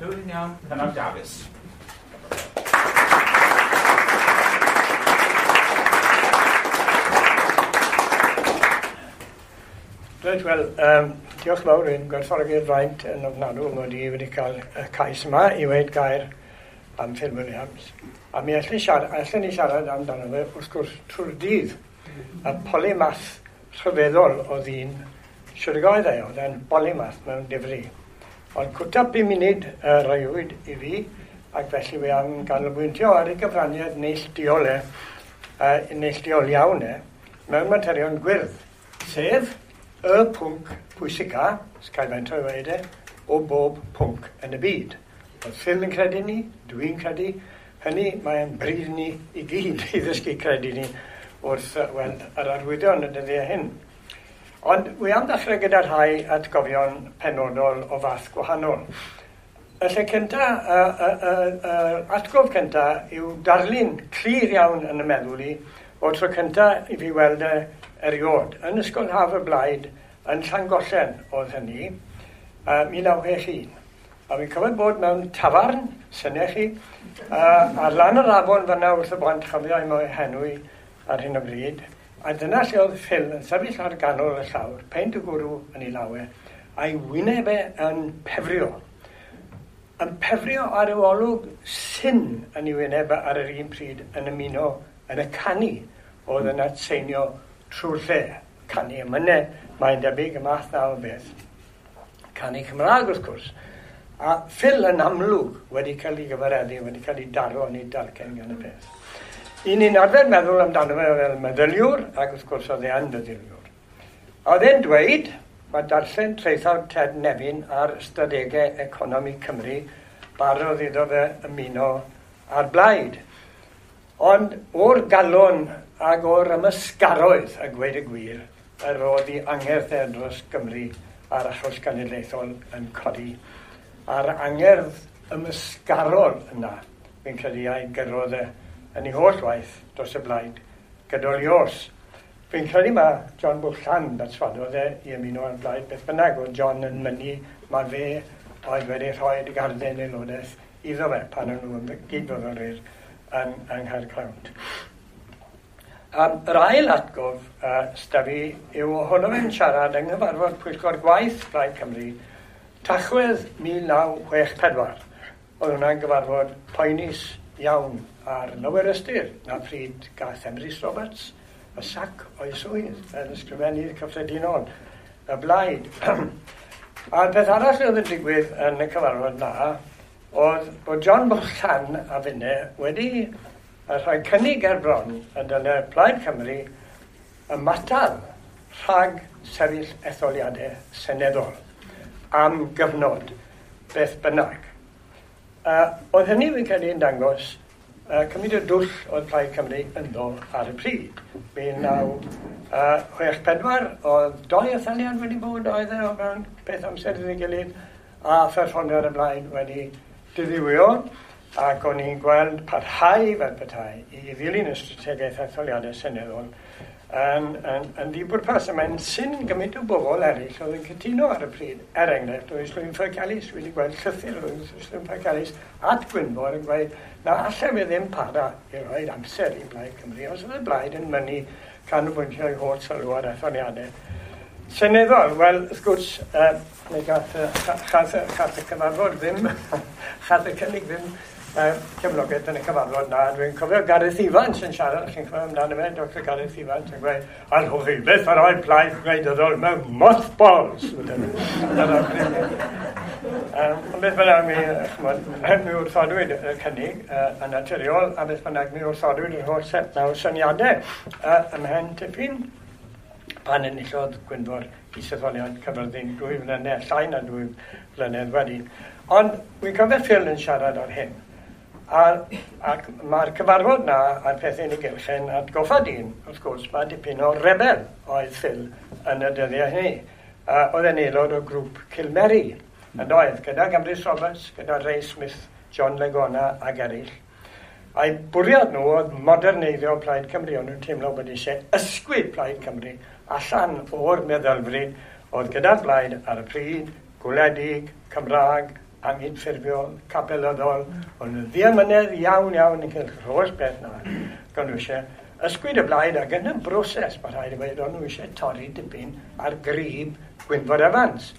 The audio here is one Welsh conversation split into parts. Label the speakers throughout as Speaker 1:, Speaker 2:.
Speaker 1: Clywed yn iawn, Cynog Dafis.
Speaker 2: Reit, wel, diolch fawr i'n gwerthfawrogi'r fraint yn ofnadw mod i wedi cael y cais yma i weud gair am Phil Williams. A mi allen ni siarad amdano fe, wrth gwrs, trwy'r dydd. Y polymath rhyfeddol o ddyn, siwr oedd e, oedd e'n polymath mewn difri. Ond cwta 5 munud roiwyd i fi, ac felly wi am ganolbwyntio ar ei gyfraniad neilltuol e, neilltuol iawn e, mewn materion gwyrdd, sef y pwnc pwysica, sgai faint o'i weud e, o bob pwnc yn y byd. Oedd Phil yn credu ni, dwi'n credu, hynny mae'n bryd ni i gyd i ddysgu credu ni wrth weld yr arwyddion y dyddiau hyn. Ond wi am ddechrau gyda rhai atgofion penodol o fath gwahanol. Y lle cynta, atgof cynta yw darlun clir iawn yn y meddwl i o'r tro cynta i fi weld e erioed. Yn Ysgol Haf y Blaid yn Llangollen oedd hynny, 1961. A fi'n cofio bod mewn tafarn, syniau chi, ar lan yr afon fyna wrth y bont, chofio i mo'i henwi ar hyn o bryd. A dyna lle oedd Phil yn sefyll ar ganol y llawr, peint o gwrw yn ei lawe, a'i wyneb e yn pefrio. Yn pefrio ar y olwg syn yn ei wyneb ar yr un pryd yn ymuno yn y canu oedd yn atseinio trwy'r lle. Canu emynau, mae'n debyg, y math na o beth. Canu Cymraeg, wrth gwrs. A Phil yn amlwg wedi cael ei gyfareddu, wedi cael ei daro yn ei dalcen gan y peth. I ni'n arfer meddwl amdano fe fel meddyliwr, ac wrth gwrs oedd e yn feddyliwr. Oedd e'n dweud, mae darllen traethawd Ted Nefyn ar ystadegau economi Cymru, barodd iddo fe ymuno â'r blaid. Ond o'r galon ag o'r ymysgaroedd, a gweud y gwir, yr oedd ei angerdd e dros Gymru a'r achos genedlaethol yn codi. A'r angerdd ymysgarol yna, fi'n credu a'i gyrrodd e yn ei holl waith dros y blaid gydol ei oes. Fi'n credu mae John Bwlchan berswadodd e i ymuno â'r blaid beth bynnag, oedd John yn mynnu mae fe oedd wedi rhoi garden aelodaeth iddo fe pan o'n nhw yn gydfyfyrwyr yng Nghaergrawnt. Yr ail atgof sda fi yw ohono fe'n siarad yng nghyfarfod Pwyllgor Gwaith Plaid Cymru Tachwedd 1964. Oedd hwnna'n gyfarfod poenus iawn ar lawer ystyr na pryd gath Emrys Roberts y sac o'i swydd fel ysgrifennydd cyffredinol y blaid. A'r peth arall oedd yn digwydd yn y cyfarfod na oedd bod John Bwlchan a finne wedi rhoi cynnig ar bron y dyle Plaid Cymru ymatal rhag sefyll etholiadau seneddol am gyfnod beth bynnag. Oedd hynny fi'n credu yn dangos cymryd y dwll oedd Plaid Cymru ynddo ar y pryd. 1964 oedd doi etholiad wedi bod oedd e o fewn peth amser iddi gilydd a pherfformiad y blaid wedi diddiwyo, ac o'n i'n gweld parhau fel petai i ddilyn y strategaeth etholiadau seneddol yn ddibwrpas. A mae'n syn gymaint o bobl eraill oedd yn cytuno ar y pryd. Er enghraifft, oedd Islwyn Ffowc Elis wedi gweld llythyr oedd Islwyn Ffowc Elis at Gwynfor yn gweud na allai fe ddim para i roi amser i Blaid Cymru os oedd y blaid yn mynnu canolbwyntio i holl sylw ar etholiadau seneddol. Wel, wrth gwrs, mi gath y cyfarfod ddim, chath y cynnig ddim cefnogaeth yn y cyfarfod na. Dwi'n cofio Gareth Evans yn siarad, chi'n cofio amdano fe, Dr Gareth Evans yn gweud, allwch chi byth ar oed plaid gwleidyddol mewn mothballs. Ond beth bynnag mi wrthodwyd y cynnig yn naturiol, a beth bynnag mi wrthodwyd yr holl set na o syniadau ymhen tipyn pan enillodd Gwynfor isetholiad Caerfyrddin 2 flynedd, llai na 2 flynedd wedyn. Ond wi'n cofio Phil yn siarad ar hyn. Ac mae'r cyfarfod na a'r pethau yn ei gylch yn atgoffa dyn, wrth gwrs, mae dipyn o rebel oedd Phil yn y dyddiau hynny. Oedd e'n aelod o grŵp Cilmeri, yn oedd, gyda Emrys Roberts, gyda Ray Smith, John Legona ac eraill. A'i bwriad nhw oedd moderneiddio Plaid Cymru, ond nhw'n teimlo bod eisiau ysgwyd Plaid Cymru allan o'r meddylfryd oedd gyda'r blaid ar y pryd, gwledig, Cymraeg, anghydffurfiol, capelyddol, ond yn ddiamynedd iawn iawn yn cael holl beth na. Gan nhw eisiau ysgwyd y blaid ac yn y broses, mae rhaid i weud, o'n nhw eisiau torri dipyn ar grib Gwynfor Evans.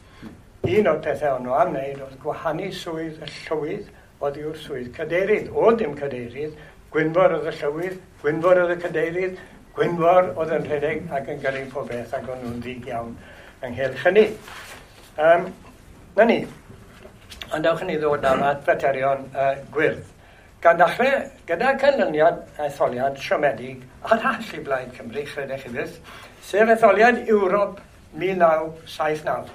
Speaker 2: Un o'r pethau o'n nhw am wneud oedd gwahanu swydd y llywydd oddi wrth swydd cadeirydd. O dim cadeirydd, Gwynfor oedd y llywydd, Gwynfor oedd y cadeirydd, Gwynfor oedd yn rhedeg ac yn gyrru pob beth ac o'n nhw'n ddig iawn ynghylch hynny. Na ni, ond dewch i ni ddod nawr at faterion gwyrdd. Gan ddechrau gyda canlyniad etholiad siomedig arall i Blaid Cymru, chredech chi byth, sef etholiad Ewrop 1979.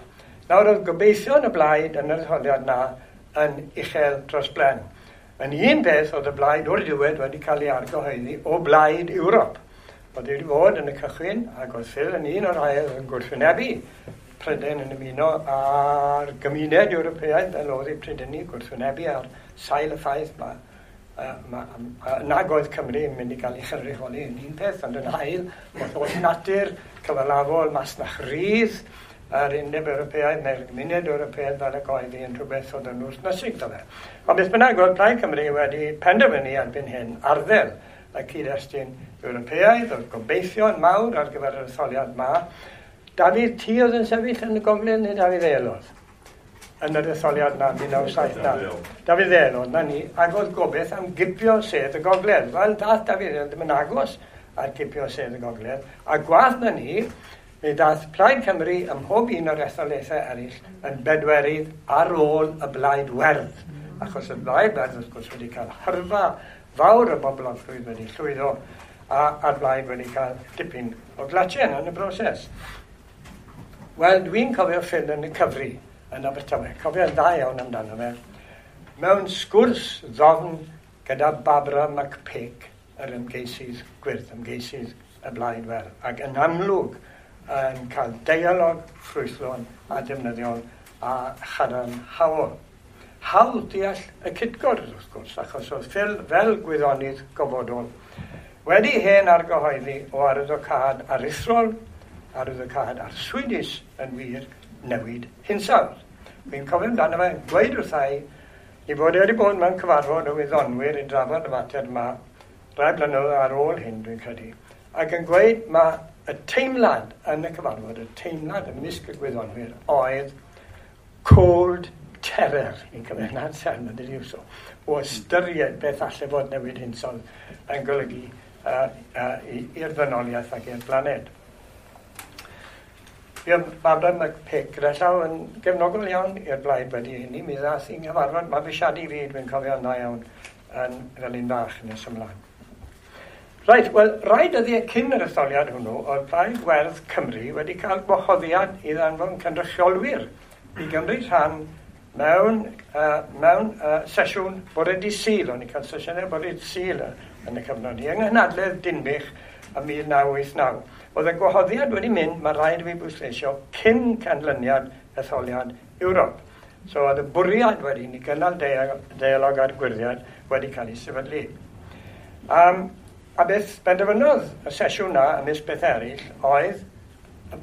Speaker 2: Nawr oedd gobeithion y blaid yn yr etholiad na yn uchel dros blen. Yn un peth oedd y blaid o'r diwedd wedi cael ei argyhoeddi o blaid Ewrop. Oedd wedi fod yn y cychwyn ac oedd Phil yn un o'r rhai oedd yn gwrthwynebu Prydain yn ymuno â'r gymuned Ewropeaidd fel oedd ei Prydain gwrthwynebu ar sail y ffaith nag oedd Cymru yn mynd i gael ei chynrychioli yn un peth, ond yn ail, oedd holl natur cyfalafol masnach rydd yr Undeb Ewropeaidd neu'r gymuned Ewropeaidd fel y oedd hi yn rhywbeth oedd yn wrthnysig iddo fe. Ond beth bynnag, oedd Plaid Cymru wedi penderfynu erbyn hyn arddel y cyd-destun Ewropeaidd, oedd gobeithio'n mawr ar gyfer yr etholiad ma. Dafydd, ti oedd yn sefyll yn y gogledd neu Dafydd Eel oedd? Yn yr etholiad na, 1979. Dafydd Eel oedd, na ni, ac oedd gobeith am gipio sedd y gogledd. Wel, dath Dafydd Eel ddim yn agos ar gipio sedd y gogledd. A gwath na ni, mi dath Plaid Cymru ym mhob un o'r etholaethau eraill yn bedwerydd ar ôl y Blaid Werdd. Achos y Blaid Werdd, wrth gwrs, wedi cael hyrfa fawr o boblogrwydd wedi llwyddo, a'r Blaid wedi cael dipyn o glatien yn y broses. Wel, dwi'n cofio Phil yn y cyfri yn Abertawe. Cofio'n dda iawn amdano fe. Mewn sgwrs ddofn gyda Barbara McPake, yr ymgeisydd gwyrdd, ymgeisydd y Blaid Werdd, ac yn amlwg yn cael deialog ffrwythlon a defnyddiol a chadarnhaol. Hawdd deall y cytgord, wrth gwrs, achos oedd Phil fel gwyddonydd gofodol wedi hen argyhoeddi o arwyddocâd aruthrol, arwyddocâd arswydus yn wir newid hinsawdd. Fi'n cofio amdano fe gweud wrtha i ei fod e wedi bod mewn cyfarfod o wyddonwyr i drafod y mater yma rai blynyddoedd ar ôl hyn, dwi'n credu, ac yn gweud mae y teimlad yn y cyfarfod, y teimlad ymysg y gwyddonwyr oedd cold terror, i'n cymryd na'r term yn ydy so, o ystyried beth allai fod newid hinsawdd yn golygu i'r ddynoliaeth ac i'r blaned. Fuodd Barbara McPake gyda llaw yn gefnogol iawn i'r blaid wedi hynny. Mi ddath i'n nghyfarfod mabwysiadu fi, dwi'n cofio'n dda iawn, yn fel un bach nes ymlaen. Reit, wel, rai dyddiau cyn yr etholiad hwnnw, oedd Plaid Werdd Cymru wedi cael gwahoddiad i ddanfon cynrychiolwyr i gymryd rhan mewn sesiwn bore dydd Sul. O'n i'n cael sesiynau bore dydd Sul yn y cyfnod i, yng nghynhadledd Dinbych ym 1989. Oedd y gwahoddiad wedi mynd, mae rhaid i fi bwysleisio, cyn canlyniad etholiad Ewrop. So oedd y bwriad wedyn i gynnal deialog a'r gwyrddïaid wedi cael ei sefydlu. A beth benderfynodd y sesiwn na, ymysg beth eraill, oedd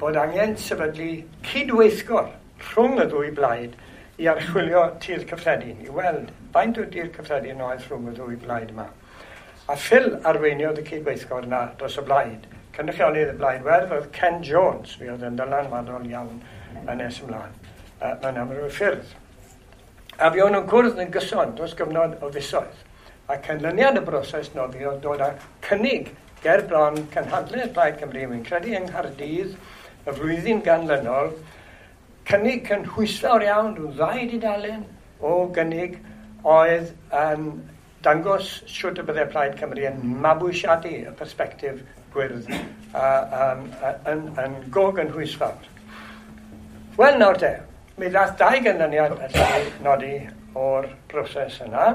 Speaker 2: bod angen sefydlu cydweithgor rhwng y ddwy blaid i archwilio tir cyffredin, i weld faint o dir cyffredin oedd rhwng y ddwy blaid yma. A Phil arweiniodd y cydweithgor na dros y blaid. Cynrychiolydd y Blaid Werdd oedd Ken Jones, fi oedd yn dylanwadol iawn yn nes ymlaen, mewn amryw ffyrdd. A fi o'n nhw'n cwrdd yn gyson dros gyfnod o fisoedd. A canlyniad y broses noddi oedd dod â cynnig ger bron cynhadledd Plaid Cymru, wy'n credu yng Nghaerdydd, y flwyddyn ganlynol, cynnig cynhwysfawr iawn, rhyw ddau dudalen o gynnig oedd yn dangos siwt y byddai Plaid Cymru yn mabwysiadu y persbectif gwyrdd yn go gynhwysfawr. Wel, nawr te, mi ddath dau ganlyniad allai nodi o'r broses yna,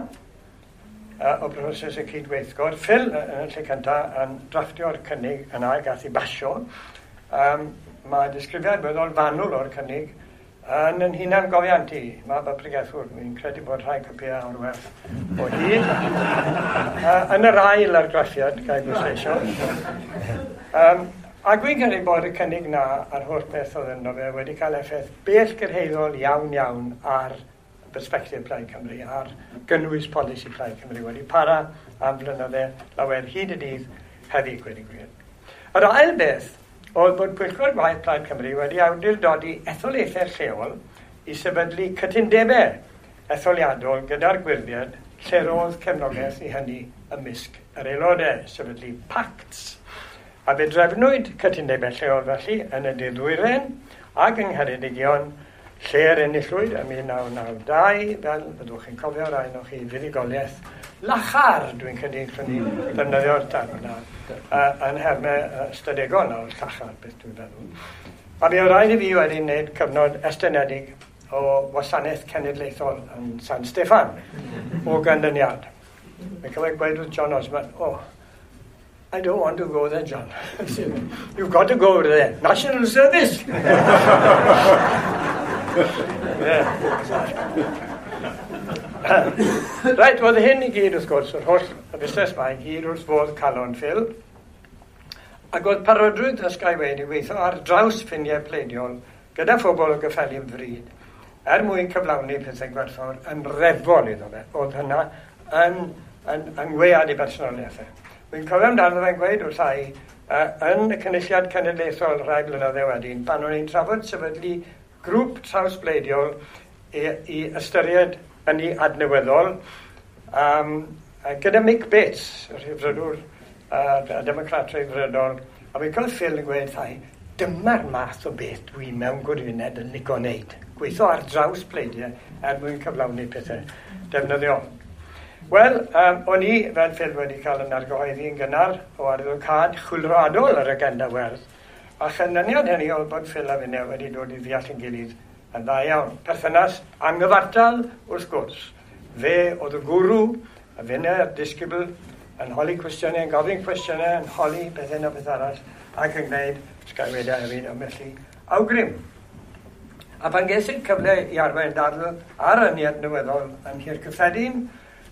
Speaker 2: o broses y cydweithgor. Phil yn y lle cyntaf yn drafftio'r cynnig yna, gath ei basio. Mae disgrifiad weddol fanwl o'r cynnig yn yn hunan gofiant i, mab y pregethwr. Fi'n credu bod rhai copïau o'r werth o hyd. Yn yr ail argraffiad, gael bwysleisio. A dwi'n credu bod y cynnig na a'r holl beth oedd ynddo fe wedi cael effaith bellgyrhaeddol iawn iawn ar perspectif Plaid Cymru ar gynnwys polisi Plaid Cymru wedi para am flynydde lawer hyd y dydd heddi, gweud y gwir. Yr ail beth oedd bod Pwyllgor Gwaith Plaid Cymru wedi awdurdodi etholaethau lleol i sefydlu cytundebau etholiadol gyda'r gwirfoddol lle roedd cefnogaeth i hynny ymysg yr aelodau, sefydlu pacts. A fe drefnwyd cytundebau lleol felly yn y De-ddwyrain ac yng Ngheredigion, lle'r enillwyd ym 1992, fel byddwch chi'n cofio rai ohonoch chi, fuddugoliaeth lachar, dwi'n credu gallwn ni ddefnyddio'r term yna, yn nhermau ystadegol nawr, llachar, beth dwi'n feddwl. A mi oedd rhaid i fi wedyn wneud cyfnod estynedig o wasanaeth cenedlaethol yn San Steffan o ganlyniad. Mae'n cofio gweud wrth John Osman, "Oh, I don't want to go there, John." "You've got to go there. National service." Yeah. Reit, oedd hyn i gyd wrth gwrs, yr holl y busnes yma i gyd wrth fodd calon Phil. Ac oedd parodrwydd ysgau wedi weithio ar draws ffiniau pleidiol gyda phobl o gyffelyb fryd er mwyn cyflawni pethau gwerthfawr yn reddfol iddo fe. Oedd hynna yn wead i bersonoliaethau. Wy'n cofio amdano fe'n gweud wrtha i yn y Cynulliad Cenedlaethol rhai blynyddoedd wedyn, pan o'n i'n trafod sefydlu grŵp trawsbleidiol i ystyried ynni adnewyddol, gyda Mick Bates, y Rhyddfrydwr, y Democrat Rhyddfrydol, a fi'n cofio Phil yn gweud wrtha i, "Dyma'r math o beth dwi mewn gwirionedd yn licio wneud. Gweithio ar draws pleidiau er mwyn cyflawni pethau defnyddiol." Wel, o'n i, fel Phil, wedi cael yn argyhoeddi yn gynnar o arwyddocâd chwyldroadol yr agenda werdd, a chanlyniad hynny oedd bod Phil a finne wedi dod i ddeall yn gilydd yn dda iawn. Perthynas anghyfartal, wrth gwrs. Fe oedd y gwrw, a finne'r disgybl, yn holi cwestiynau, yn gofyn cwestiynau, yn holi beth hyn a beth arall, ac yn gwneud sgaywedau hefyd ambell i awgrym. A pan ges i'r cyfle i arwain dadl ar ynni adnewyddol yn Nhŷ'r Cyffredin,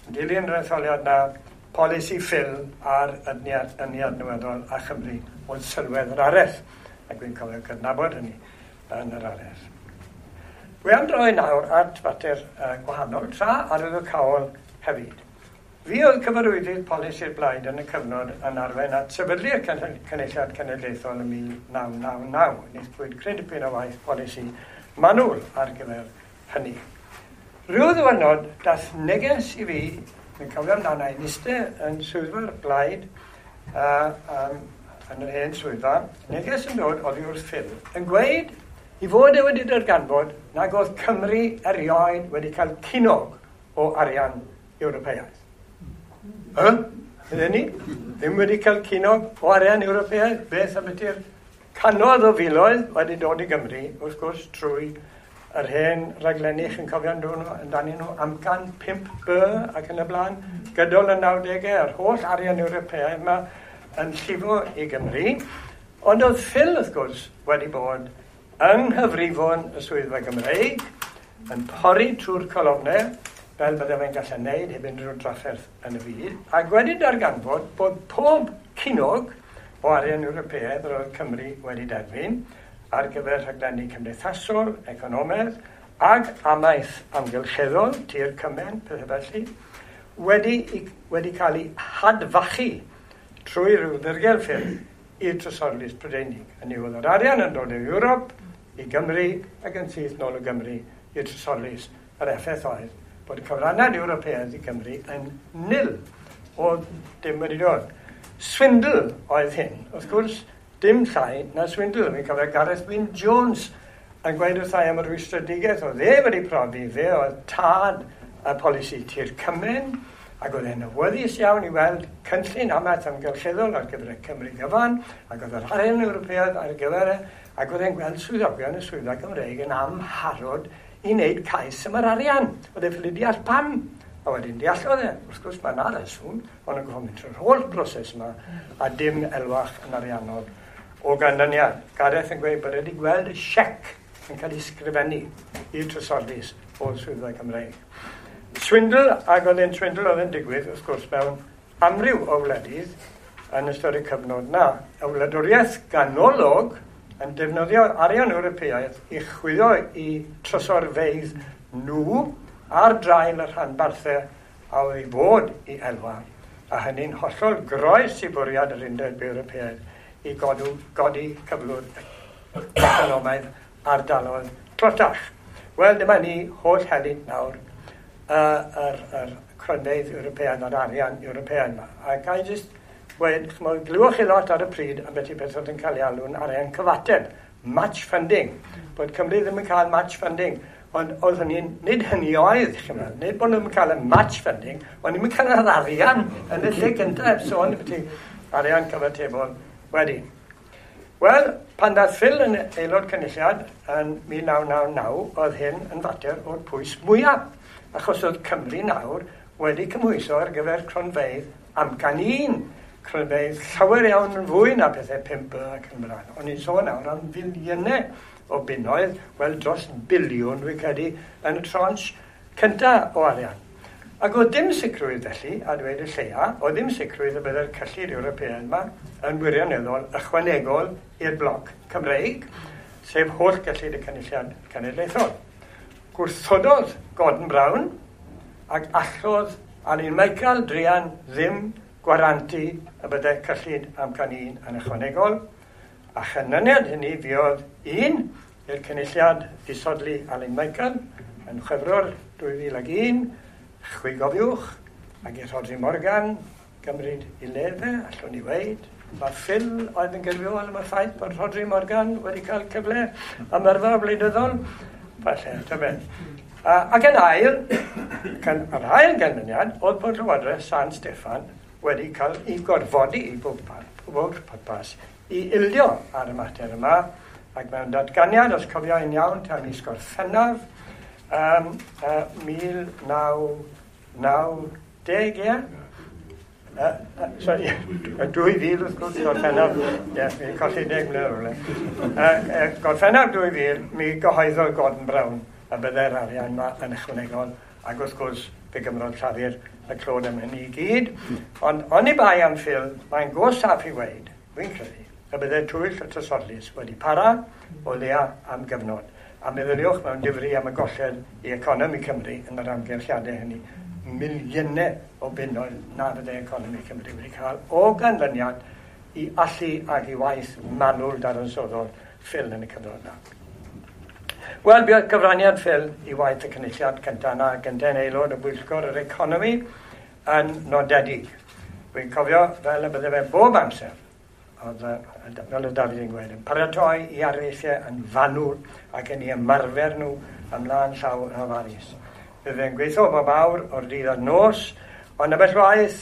Speaker 2: yn dilyn yr etholiad na, polisi Phil ar ynni adnewyddol a Chymru oedd sylwedd yr araith. Ac dwi'n cofio cydnabod hynny yn yr araith. Dwi am droi nawr at fater gwahanol, tra arwyddocaol hefyd. Fi oedd cyfarwyddyd polisi'r blaid yn y cyfnod yn arwain at sefydlu'r Cynulliad Cenedlaethol yn 1999. Wnaethpwyd cryn dipyn o waith polisi manwl ar gyfer hynny. Rhyw ddiwrnod, dath neges i fi, dwi'n cofio amdano i'n eistedd yn swyddfa'r blaid, yn yr hen swyddfa, neges yn dod oddi wrth Phil, yn gweud i fod e wedi darganfod nag oedd Cymru erioed wedi cael cinog o arian Ewropeaidd. Y? Ydyn ni? Ddim wedi cael cinog o arian Ewropeaidd? Beth am ydy'r cannoedd o filoedd wedi dod i Gymru, wrth gwrs, trwy yr hen raglenni, chi'n cofio amdanyn nhw, Amcan 5B ac yn y blaen, gydol y 90au, yr holl arian Ewropeaidd yma yn llifo i Gymru. Ond oedd Phil, wrth gwrs, wedi bod yng nghyfrifon y Swyddfa Gymreig, yn pori trwy'r colofnau, fel bydde fe'n gallu wneud heb unrhyw drafferth yn y byd, ac wedi darganfod bod pob cinog o arian Ewropeaidd yr oedd Cymru wedi derbyn ar gyfer rhaglenni cymdeithasol, economaidd, ag amaeth amgylcheddol, tir cymen, pethau felly, wedi cael ei hadfachu trwy ryw ddirgel ffyrdd i'r Trysorlys Prydeinig. Hynny yw, oedd yr arian yn dod o Ewrop i Gymru ac yn syth nôl o Gymru i'r Trysorlys. Yr effaith oedd bod y cyfraniad Ewropeaidd i Gymru yn nil. Oedd dim wedi dod. Swindle oedd hyn. Wrth gwrs, dim llai na swindle. Fi'n cofio Gareth Wyn Jones yn gweud wrtha i am y rwystredigaeth oedd e wedi profi. Fe oedd tad y polisi tir cymen, ac oedd e'n awyddus iawn i weld cynllun amaeth amgylcheddol ar gyfer y Cymru gyfan, ac oedd yr arian Ewropeaidd ar gyfer e, ac oedd e'n gweld swyddogion y Swyddfa Gymreig yn amharod i wneud cais am yr arian. Oedd e ffili deall pam. A wedyn deallodd e, wrth gwrs mae yna reswm, ond yn gorfod mynd trwy'r holl broses yma, a dim elwach yn ariannol o ganlyniad. Gareth yn gweud bod e wedi gweld y siec yn cael ei sgrifennu i'r Trysorlys o'r Swyddfa Cymreig. Swindle, ac oedd e'n swindle oedd yn digwydd, wrth gwrs, mewn amryw o wledydd yn ystod y cyfnod na. Y wladwriaeth ganolog yn defnyddio arian Ewropeaidd i chwyddo i trysorfeydd nhw. ar draul y rhanbarthau a oedd i fod i elwa, a hynny'n hollol groes i bwriad yr Undeb Ewropeaidd i godi cyflwr economaidd ardaloedd tlotach. Wel, dyma ni holl helynt nawr yr cronfeydd Ewropeaidd a'r arian Ewropeaidd yma. A ga i jyst gweud, ch'mod, glywch chi lot ar y pryd am beth i beth oedd yn cael ei alw'n arian cyfateb, match funding, bod Cymru ddim yn cael match funding. Ond oedd hynny, nid hynny oedd, ch'mod, nid bod nhw'n cael y match funding, ond ddim yn cael yr arian yn y lle gyntaf, sôn ambiti arian cyfatebol wedyn. Wel, pan ddaeth Phil yn aelod cynulliad yn 1999, oedd hyn yn fater o'r pwys mwyaf, achos oedd Cymru nawr wedi cymhwyso ar gyfer cronfeydd amcan un, cronfeydd llawer iawn yn fwy na pethau 5 ac yn blaen. O'n i'n sôn nawr am filiynau o bunnoedd, wel dros biliwn dwi'n credu, yn y tranche cyntaf o arian. Ac oedd dim sicrwydd felly, a dweud y lleia, oedd ddim sicrwydd y byddai'r cyllid Ewropeaidd yma yn wirioneddol ychwanegol i'r bloc Cymreig, sef holl gyllid y Cynulliad Cenedlaethol. Gwrthododd Gordon Brown ac allodd Alun Michael druan ddim gwarantu y byddai cyllid amcan un yn ychwanegol, a chanlyniad hynny fuodd un i'r Cynulliad ddisodli Alun Michael yn Chwefror 2001, chwi gofiwch, ac i Rhodri Morgan gymryd i le fe, allwn ni weud. Mae Phil oedd yn gyfrifol am y ffaith bod Rhodri Morgan wedi cael cyfle am yrfa wleidyddol. Falle, ta beth. Ac yn ail, yr ail ganlyniad oedd bod Llywodraeth San Steffan wedi cael ei gorfodi i bob pwrpas i ildio ar y mater yma, ac mewn datganiad, os cofio i'n iawn, tan mis Gorffennaf, 1990, ie? Sorry, 2000 wrth gwrs, Gorffennaf, ie, mi'n colli 10 mlynedd rhywle. Gorffennaf 2000, mi gyhoeddodd Gordon Brown y byddai'r arian yma yn ychwanegol, ac wrth gwrs, fe gymrodd Llafur y clod am hynny i gyd. Ond oni bai am Phil, mae'n go saff i weud, dwi'n credu, y byddai twyll y Trysorlys wedi para o leia am gyfnod. A meddyliwch mewn difri am y golled i economi Cymru yn yr amgylchiadau hynny, miliynau o bunnoedd na fyddai economi Cymru wedi cael o ganlyniad i allu ac i waith manwl dadansoddol Phil yn y cyfnod yna. Wel, buodd cyfraniad Phil i waith y cynulliad cyntaf yna, gyntaf aelod o bwyllgor yr economi yn nodedig. Dwi'n cofio fel y bydde fe bob amser, oedd, fel y Dafydd yn gweud, yn paratoi i areithiau yn fanwl ac yn ei ymarfer nhw ymlaen llaw yn ofalus. Bydde fe'n gweithio bob awr o'r dydd a'r nos, ond ambell waith,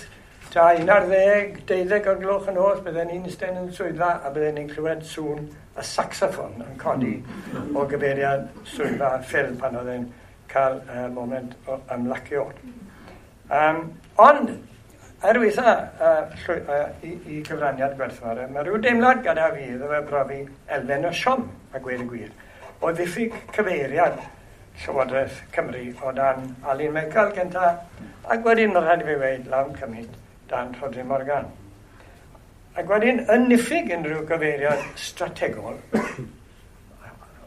Speaker 2: ta 11, 12 o'r gloch yn nos, bydden ni'n eistedd yn swyddfa a bydden ni'n clywed sŵn y saxoffon yn codi o gyfeiriad swyddfa Phil pan oedd e'n cael moment o ymlacio. Ond, er weitha i gyfraniad gwerthfawr, mae rhyw deimlad gyda fi iddo fe brofi elfen o siom, a gweud y gwir, o ddiffyg cyfeiriad Llywodraeth Cymru o dan Alun Michael gynta, ac wedyn mae rhaid i fi weud lawn cymaint dan Rhodri Morgan. Ac wedyn, yn niffyg unrhyw gyfeiriad strategol,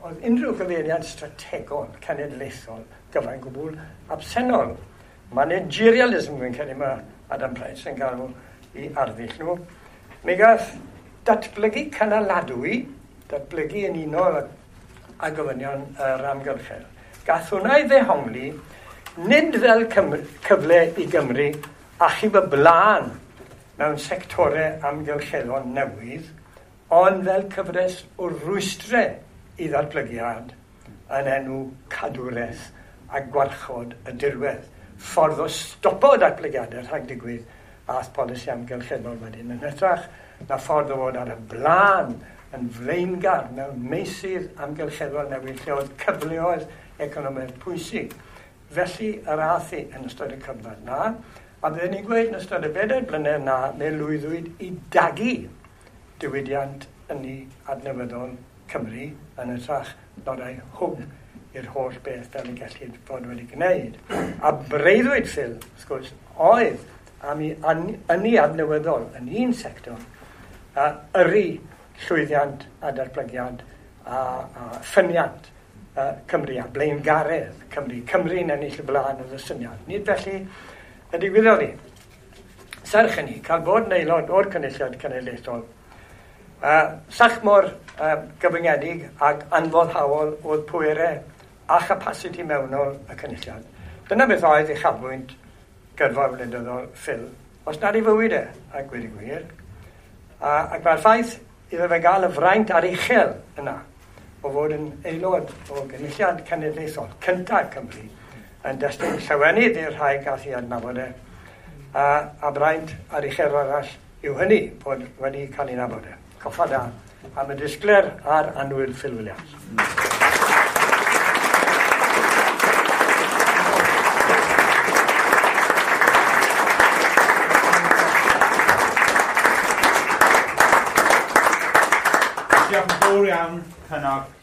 Speaker 2: oedd unrhyw gyfeiriad strategol cenedlaethol gyfan gwbl absennol. Managerialism, fi'n credu mae Adam Price yn galw i arddull nhw. Mi gath datblygu cynaladwy, datblygu yn unol â gofynion yr amgylchedd. Gath hwnna ei ddehongli, nid fel cyfle i Gymru achub y blaen mewn sectorau amgylcheddol newydd, ond fel cyfres o rwystrau i ddatblygiad yn enw cadwraeth a gwarchod y dirwedd. Ffordd o stopo datblygiadau rhag digwydd ath polisi amgylcheddol wedyn yn hytrach na ffordd o fod ar y blaen yn flaengar mewn meysydd amgylcheddol newydd lle oedd cyfleoedd economaidd pwysig. Felly yr ath hi yn ystod y cyfnod na, a byddwn ni'n gweud yn ystod y 4 blynedd na, me lwyddwyd i dagu diwydiant ynni adnewyddol Cymru yn hytrach na rhoi hwb i'r holl beth fel y gellid fod wedi gwneud. A breuddwyd Phil, wrth gwrs, oedd am i ynni adnewyddol yn un sector a yrru llwyddiant a datblygiad a ffyniant Cymru a blaengaredd Cymru. Cymru'n ennill y blaen oedd y syniad. Nid felly y digwyddodd hi. Serch hynny, cael bod yn aelod o'r Cynulliad Cenedlaethol, sach mor gyfyngedig ac anfoddhaol oedd pwerau a chapasiti mewnol y Cynulliad. Dyna beth oedd uchafbwynt gyrfa wleidyddol Phil, os nad ei fywyd e, a gweud y gwir. Ac mae'r ffaith iddo fe gael y fraint aruchel yna o fod yn aelod o Gynulliad Cenedlaethol cyntaf Cymru yn destun llawenydd i'r rhai gath ei adnabod e, a braint aruchel arall yw hynny bod wedi cael ei nabod e. Coffa da am y disgler a'r annwyl Phil Williams.
Speaker 1: Diolch yn fawr iawn, Cynog.